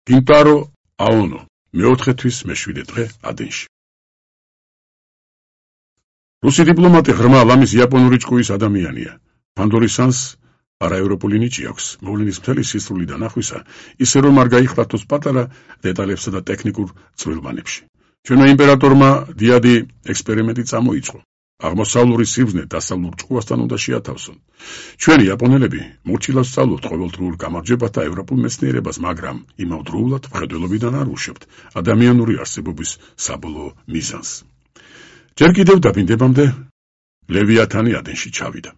კინტარო აონო მეოთხეთვის მე-7 დღე ადენში. რუსი დიპლომატი ღრმა ლამის იაპონური ჭკუის ადამიანია. ფანდორის სანს არაევროპული ნიჭი აქვს. მოვლენის მთელი სისწრული დანახვისა, ისე რომ არ გაიხსნათოს პატარა დეტალებსა და ტექნიკურ წვრილმანებში. ჩვენმა იმპერატორმა დიადი ექსპერიმენტი წამოიწყო. აღმოსავლური სიბრძნე დასავლურ ჭკუასთან უნდა შეათავსონ. ჩვენი იაპონელები მორჩილავს სწავლობთ ყოველდღიურ გამარჯვებათა ევროპულ მეცნიერებას, მაგრამ იმავდროულად მხედველობიდან არ უშვებთ ადამიანური არსებობის საბოლოო მიზანს. ჯერ კიდევ დაბინდებამდე ლევიათანი ადენში ჩავიდა.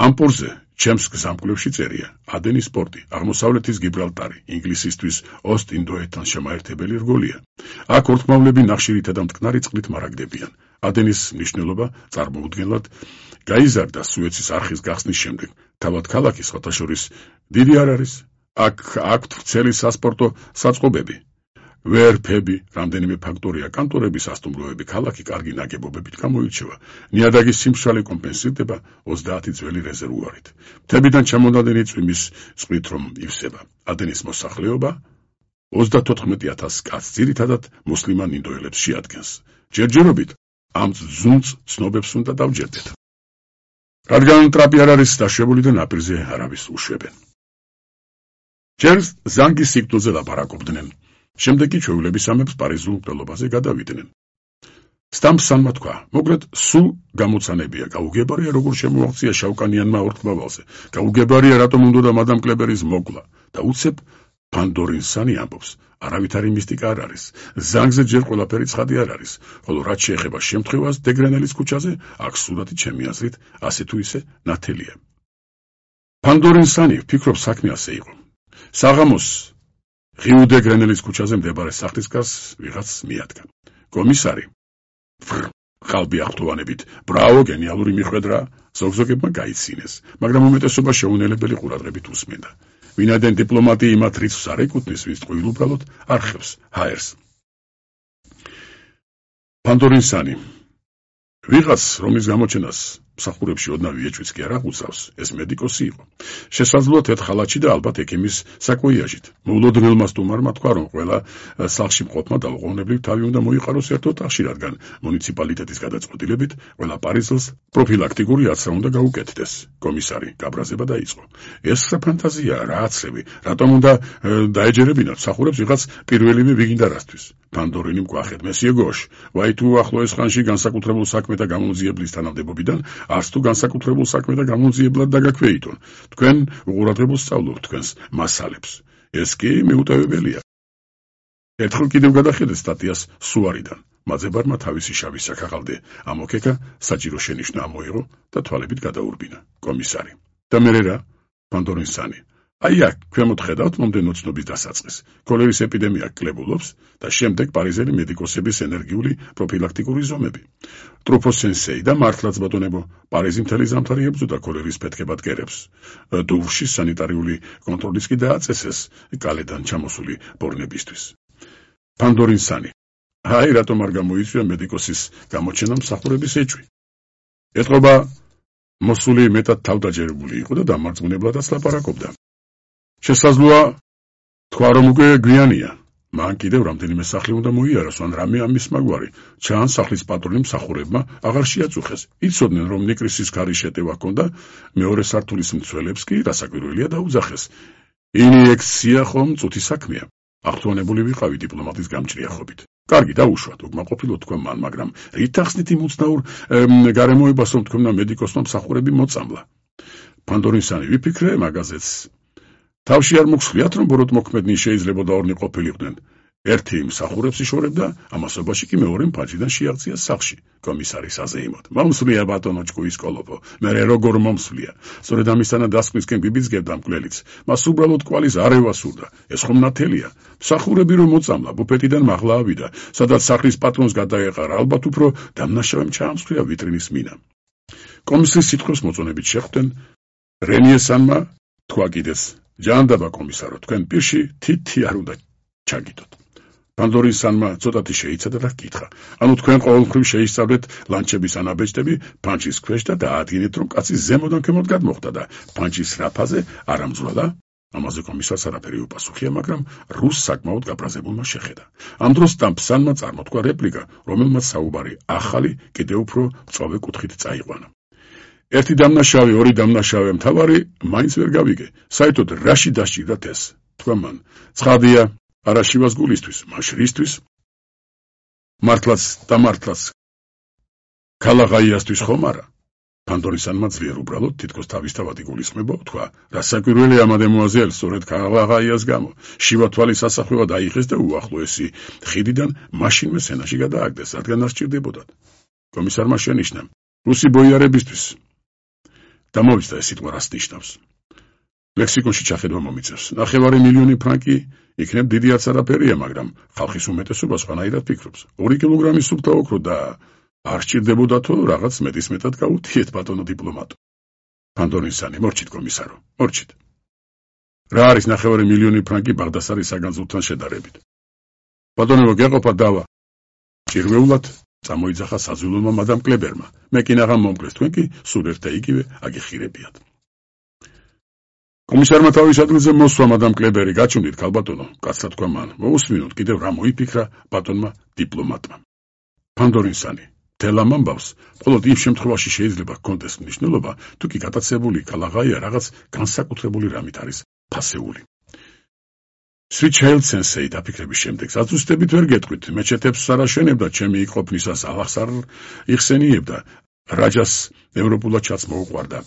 ამ პურზე ჩემს გზამკვლევში წერია ადენის პორტი, აღმოსავლეთის გიბრალტარი, ინგლისისთვის ოსტ-ინდოეთთან შემაერთებელი რგოლია. აქ ურთმავლები ნახშირითა და მტკნარი წყლით მარაგდებიან. ადენის მნიშვნელობა წარმოუდგენლად გაიზარდა სუეცის არხის გახსნის შემდეგ. თავად ქალაქი სხვათაშორის დიდი არ არის. აქ აქვთ ვრცელი სასპორტო საწყობები. ვერფები, რამდენიმე ფაქტორია, კანტორების სასტუმროები, ქალაქი კარგი ნაგებობებით გამოირჩევა. ნიადაგის სიმშრალე კომპენსირდება 30 ძველი რეზერვუარით. მთებიდან ჩამონადენი წვიმის წყლით რომ ივსება. ადენის მოსახლეობა 34,000 კაცს, ძირითადად მუსლიმან ინდოელებს შეადგენს. ჯერჯერობით ამ ზუნწ ცნობებს უნდა დავჯერდეთ. რადგან ტრაპი არ არის დაშვებული და ნაპირზე არავის უშვებენ. ჯერ ზანგის სიკვდილზე ლაპარაკობდნენ. შემდეგ კი ჩვეულების ამებს პარიზულ მკვლელობაზე გადავიდნენ. სტამპსანმა თქვა, მოკლედ სულ გამოცანებია, გაუგებარია როგორ შემოაღწია შავკანიანმა ორთმავალზე, გაუგებარია რატომ უნდა მადამ კლებერის მოკლა და უცებ ფანდორინსანი ამბობს, არავითარი მისტიკა არ არის, ზანგზე ჯერ ყველაფერი ცხადი არ არის, ხოლო რაც შეეხება შემთხვევას დეგრენელის ქუჩაზე, აქ სურათი ჩემი აზრით ასე თუ ისე ნათელია. ფანდორინსანი ვფიქრობ საქმე ასე იყო. საღამოს ღიუ დეგრენელის ქუჩაზე მდებარე სახლის გარს ვიღაც მიადგა. კომისარი ხალბი აღთოვანებით, ბრავო, გენიალური მიხვედრა, ზოგზოგებმა გაიცინეს, მაგრამ უმეტესობა შეუნელებელი ყურადღებით უსმენდა. ვინაიდან დიპლომატი იმათ რიცხვს არ ეკუთვნის, ვის ტყუილ უბრალოდ არხევს, ჰაერს. ფანდორინსანი ვიღაც რომის გამოჩენას მსახურებში ოდნავ ეჭვიც კი არ აღუწევს, ეს მედიკოსი იყო. შესაძლოა თეთრ ხალათში და ალბათ ექიმის საკუიაჟით. მოულოდნელმა სტუმარმა თქვა, რომ ყველა სახლში მყოფმა დაუყოვნებლივ თავი უნდა მოიყაროს ერთ ოთახში, რადგან მუნიციპალიტეტის გადაწყვეტილებით ყველა პარიზელს პროფილაქტიკური აცრა უნდა გაუკეთდეს. კომისარი გაბრაზება დაიწყო. ეს ფანტაზია რა აცრები, რატომ უნდა დაეჯერებინათ მსახურებს ვიღაც პირველივე ვიგინდა რასთვის. ფანდორინი მკვახეთ, მესიე გოშ, ვაი თუ ახლოეს ხანში განსაკუთრებულ საქმეთა გამომძიებლის თანამდებობიდან არც თუ განსაკუთრებულ საქმეთა გამომძიებლად დაგაქვეითონ. თქვენ უყურადღებულს სწავლობთ თქვენს მასალებს. ეს კი მიუტევებელია. ერთხელ კიდევ გადახედეთ სტატიას სუარიდან. მაძებარმა თავისი შავი საქაღალდე ამოქეკა, საჭირო შენიშვნა ამოიღო და თვალებით გადაურბინა. კომისარი. და მერე რა? ფანდორინსანი. აი აქ ქვემოთ ხედავთ მომდენო ცნობის დასაწყის. კოლერის ეპიდემია კლებულობს და შემდეგ პარიზელი მედიკოსების ენერგიული პროფილაქტიკური ზომები. ტრუფოსენსეი და მართლაც ბატონებო, პარიზი მთელი ზამთარი ებრძოდა კოლერის ფეთქებად კერებს. დუვში სანიტარიული კონტროლის კი დააწესეს კალედან ჩამოსული ბორნებისთვის. ფანდორინსანი. აი რატომ არ გამოიწვია მედიკოსის გამოჩენა მსახურების ეჭვი. ეტყობა მოსული მეტად თავდაჯერებული იყო და დამარწმუნებლადაც ლაპარაკობდა. შესაძლოა თქვა რომ უკვე გვიანია. მან კიდევ რამდენიმე სახლი უნდა მოიაროს, ან რამე ამის მაგვარი. ჩანს სახლის პატრონი მსახურებმა აღარ შეაწუხეს. იცოდნენ რომ ნიკრისის ქარის შეტევა ჰქონდა, მეორე სართულის მცველებს კი რასაკვირველია დაუძახეს. ინიექცია ხომ წუთი საქმეა. აღთვალებული ვიყავი დიპლომატის გამჭრიახობით. კარგი დაუშვათ, უკმაყოფილო თქვა მან, მაგრამ რით ახსნით იმ უცნაურ გარემოებას, რომ თქვენმა მედიკოსმა მსახურები მოწამლა. ფანდორინსანი ვიფიქრე მაგაზეც. თავში არ მოგხსნიათ, რომ ბოროტმოქმედნი შეიძლება ორნი ყოფილიყვნენ. ერთი მსახურებს იშორებდა, ამასობაში კი მეორე მფარჯიდან შეაღწია სახლში. კომისარის აზეიმოდ. მომსვლია ბატონო ჭკუის კოლოფო. მერე როგორ მომსვლია. სწორედ ამისთანა დასკვნისკენ ბიბიძგებდა მკვლელიც. მას უბრალოდ კვალის არევა სურდა. ეს ხომ ნათელია. მსახურები რომ მოწამლა, ბუფეტიდან მაღლა ავიდა, სადაც სახლის პატრონს გადაეყარა, ალბათ უფრო დამნაშავემ ჩაამსხვრია ვიტრინის მინა. კომისრის სიტყვებს მოწონებით შეხვდნენ რენიესანმა თქვა კიდეც. ჯანდაბა კომისარო, თქვენ პირში თითი არ უნდა ჩაგიდოთ. ფანდორინსანმა ცოტათი შეიცადა და ჰკითხა. ანუ თქვენ ყოველმხრივ შეისწავლეთ ლანჩების ანაბეჭდები ფანჯის ქვეშ და დაადგინეთ, რომ კაცი ზემოდან ქვემოთ გადმოხდა და ფანჯის რაფაზე არ ამძვრალა? ამაზე კომისარს არაფერი უპასუხია, მაგრამ რუსს საკმაოდ გაბრაზებულმა შეხედა. ამ დროს სტამფსანმა წარმოთქვა რეპლიკა, რომელმაც საუბარი ახალი, კიდევ უფრო მწვავე კუთხით წაიყვანა. ერთი დამნაშავე, ორი დამნაშავე მთავარი მაინც ვერ გავიგე. საერთოდ რაში დასჭირდათ ეს? თქვა მან. ცხადია, არა შივას გულისთვის, მაშ რისთვის? მართლაც და მართლაც ქალაღაიასთვის ხომ არა? ფანდორისანმა ძლიერ უბრალოდ თითქოს თავისთავად იგულისხმება, თქვა, რა საკვირველია მადემუაზელ, სწორედ ქალაღაიას გამო. შივა თვალის ასახვევად აიღეს და უახლოესი ხიდიდან მაშინვე სენაში გადააგდეს, რადგან არ სჭირდებოდათ. კომისარმა შენიშნა, რუსი ბოიარებისთვის. დამოვიწყდა ეს სიტყვა რას ნიშნავს. ლექსიკონში ჩახედვა მომიწევს. 9 მილიონი ფრანკი იქნებ დიდი არც არაფერია, მაგრამ ხალხის უმეტესობა სხვანაირად ფიქრობს. 2 კილოგრამი სუფთა ოქრო და არ სჭირდებოდათო რაღაც მეტისმეტად გაუთიეთ ბატონო დიპლომატო. ფანდორისანი, მორჩით კომისარო, მორჩით. რა არის 9 მილიონი ფრანკი ბაღდასარის საგანძურთან შედარებით? ბატონო, გეყოფა დავა. ჭირვეულად წამოიძახა საზულულმა მადამ კლებერმა. მე კი ნაღამ მომკლეს, თქვენ კი სულ ერთ და იგივე აგიხირებიათ. კომისარმა თავის ადგილზე მოსვა მადამ კლებერი, გაჩვენდით ქალბატონო, კაცად თქვა მან. მოусმინოთ კიდევ რა მოიფიქრა ბატონმა დიპლომატმა. ფანდორისანი, თელ ამ ამბავს, მხოლოდ იმ შემთხვევაში შეიძლება ჰქონდეს მნიშვნელობა, თუ კი გატაცებული ქალაღაია რაღაც განსაკუთრებული რამით არის ფასეული. სვიჩაილდ სენსეი დაფიქრების შემდეგ ზუსტებით ვერ გეტყვით, მეჩეთებს არ აშენებდა, ჩემი იქ ყოფნისას ალახს არ იხსენიებდა, რაჯას ევროპულად ჩაც მოუყვარდა,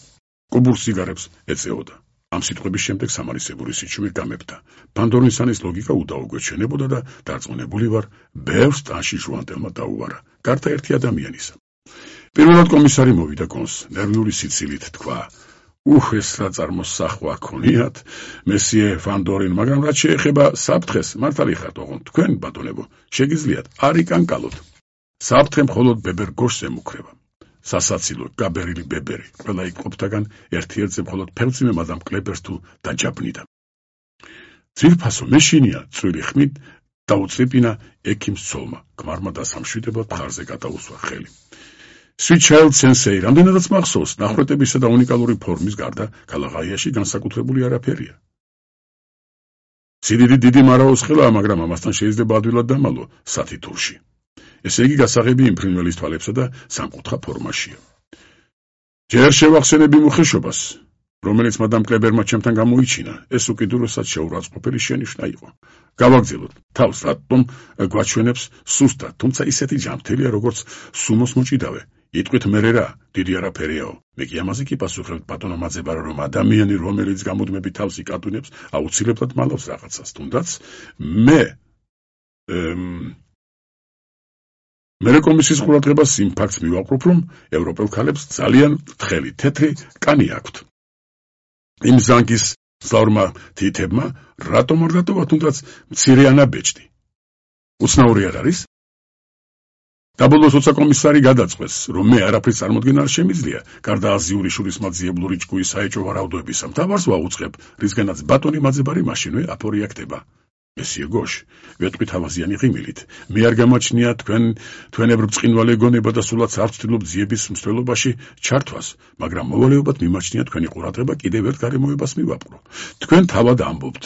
კუბურს სიგარებს ეწეოდა. ამ სიტყვების შემდეგ სამარისებური სიჩუმე გამეფდა. ფანდორისანის ლოგიკა უდაუგვეჩვენებოდა და დარწმუნებული ვარ, ბევრს ტანში ჟუანტელმა დაუვარა, გარდა ერთი ადამიანისა. პირველად კომისარი მოვიდა კონს, ნერვიული სიცილით თქვა, ეს რა წარმოსახვა ქონიათ, მესიე ფანდორინ, მაგრამ რაც შეეხება საფრთხეს, მართალი ხართ ოღონდ, თქვენ, ბატონებო, შეგიძლიათ არ იკანკალოთ. საფრთხე მხოლოდ ბებერ გოშს ემუქრება. სასაცილო, გაბერილი ბებერი, ყველა იქ ყოფთაგან ერთ-ერთზე მხოლოდ ფელწიმე მადამ კლებერს თუ დაჯაბნიდა. ძვირფასო მეშინია, წვილი ხმით დაუწრიპინა ექიმს ცოლმა, ქმარმა დასამშვიდებლად მხარზე გადაუსვა ხელი. სვიჩაილდ სენსეი, რამდენადაც მახსოვს, ნახვეტებისა და უნიკალური ფორმის გარდა, ქალაღაიაში განსაკუთრებული არაფერია. სიდიდით დიდი მარაოს ხელაა, მაგრამ ამასთან შეიძლება ადვილად დამალო სათითურში. ესე იგი გასაღები იმ ფრინველის თვალებსა და სამკუთხა ფორმაშია. ჯერ შევახსენები მუხეშობას, რომელიც მადამ კლებერმა ჩემთან გამოიჩინა, ეს უკიდურესად შეურაცხყოფელი შენიშვნა იყო. გავაგრძელოთ, თავს რატომ გვაჩვენებს სუსტად, თუმცა ისეთი ჯანმრთელია, როგორც სუმოს მოჭიდავე. იტყვით მერე რა, დიდი არაფერიაო. მე კი ამაზე კი პასუხებთ ბატონო მაძებარო, რომ ადამიანი, რომელიც გამუდმებით თავს იკატუნებს, აუცილებლად მალავს რაღაცას, თუნდაც მე კომისიის ყურადღებას იმ ფაქტს მივაყრობ, რომ ევროპელ ქალებს ძალიან თხელი, თეთრი კანი აქვთ. იმ ზანგის მძლავრმა თითებმა რატომ არ დატოვა თუნდაც მცირე ანაბეჭდი? უცნაური არ არის? დაბოლოს როცა კომისარი გადაწყვეს, რომ მე არაფრის წარმოდგენა არ შემიძლია, გარდა აზიური შურისმაძიებლური ჭკუის საეჭვო ვარაუდოებისა, მთავარს ვაუწყებ, რისგანაც ბატონი მაძებარი მაშინვე აპორიაქტება. მესიე გოშ, ვეტყვით ავაზიანი ღიმილით. მე არ გამაჩნია თქვენებრივ ბრწყინვალე გონება და სულაც არ ვცდილობ ძიების მსვლელობაში ჩართვას, მაგრამ მოვალეობად მიმაჩნია თქვენი ყურადღება კიდევ ერთ გარემოებას მივაპყრო. თქვენ თავად ამბობთ,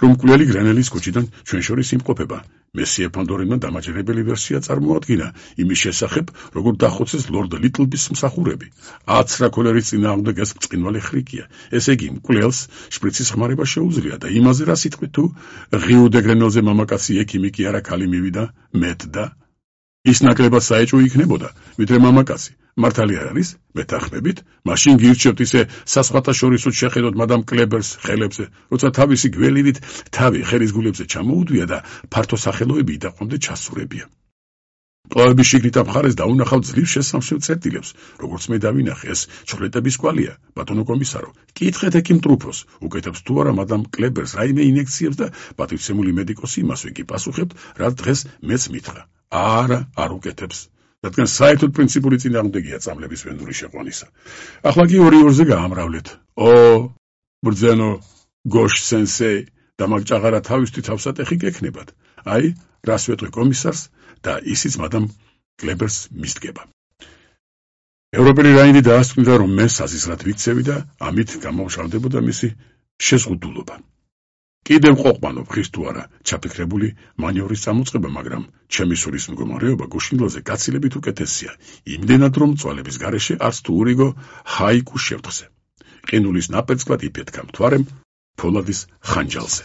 რომ მკვლელი გრენელის ქუჩიდან ჩვენ შორის იმყოფება. მესიე ფანდორინმა დამაჯერებელი ვერსია წარმოადგინა იმის შესახებ, როგორ დახოცეს ლორდ ლიტლბის მსახურები. 10 რაკოლერის წინააღმდეგ ეს ბრწყინვალე ხრიკია. ესე იგი, მკვლელს შპრიცის ხმარება შეუძლია და იმაზე რა სიტყვით თუ ღიუ დე გრენელზე მამაკაცი ექიმი კი არა ქალი მივიდა, მეტდა. ის ნაკლებად საეჭვო იქნებოდა, ვიდრე მამაკაცი. მართალი არ არის? მეთანხმებით? მაშინ გირჩევთ ისე სასხათაშორისო შეხედოთ მადამ კლებერს ხელებზე, როცა თავისი გველივით თავი ხელის გულებზე ჩამოუდვია და ფართო სახელოები იდაყომდე ჩასურებია. მკლავების შიგნით ამ მხარეს დაუნახავ ძლივ შესამჩნევ წერტილებს, როგორც მე დავინახე, ეს ჩხლეტების კვალია, ბატონო კომისარო. კითხეთ ექიმ ტრუფოს, უკეთებს თუ არა მადამ კლებერს რაიმე ინექციებს და პატივცემული მედიკოსი იმასვე კი პასუხებთ, რაც დღეს მეც მითხრა. არა, არ უკეთებს. რადგან საერთოდ პრინციპული წინააღმდეგია წამლების ვენდური შეყვანისა. ახლა კი 2-2-ზე გაამრავლეთ. ბრძენო გოშ სენსეი და მაგჭაღარა თავისთვის თავსატეხი გექნებათ. აი, რას ვეტყვი კომისარს და ისიც მადამ კლებერს მისდგება. ევროპელი რაინდი დაასწრინდა, რომ მე საზიზრად ვიქცევი და ამით გამოვშალდებოდა მისი შეზღუდულობა. კიდევ ყოფანობ ხის თუ არა ჩაფიქრებული მანევრის წამოწყება, მაგრამ ჩემი სულის მდგომარეობა გუშინდელზე გაცილებით უკეთესია, იმდენად რომ წვალების გარეშე არც თუ ურიგო ჰაიკუ შევთხზე. ყინულის ნაპერწკლად იფეთქა მთვარემ ფოლადის ხანჯალზე.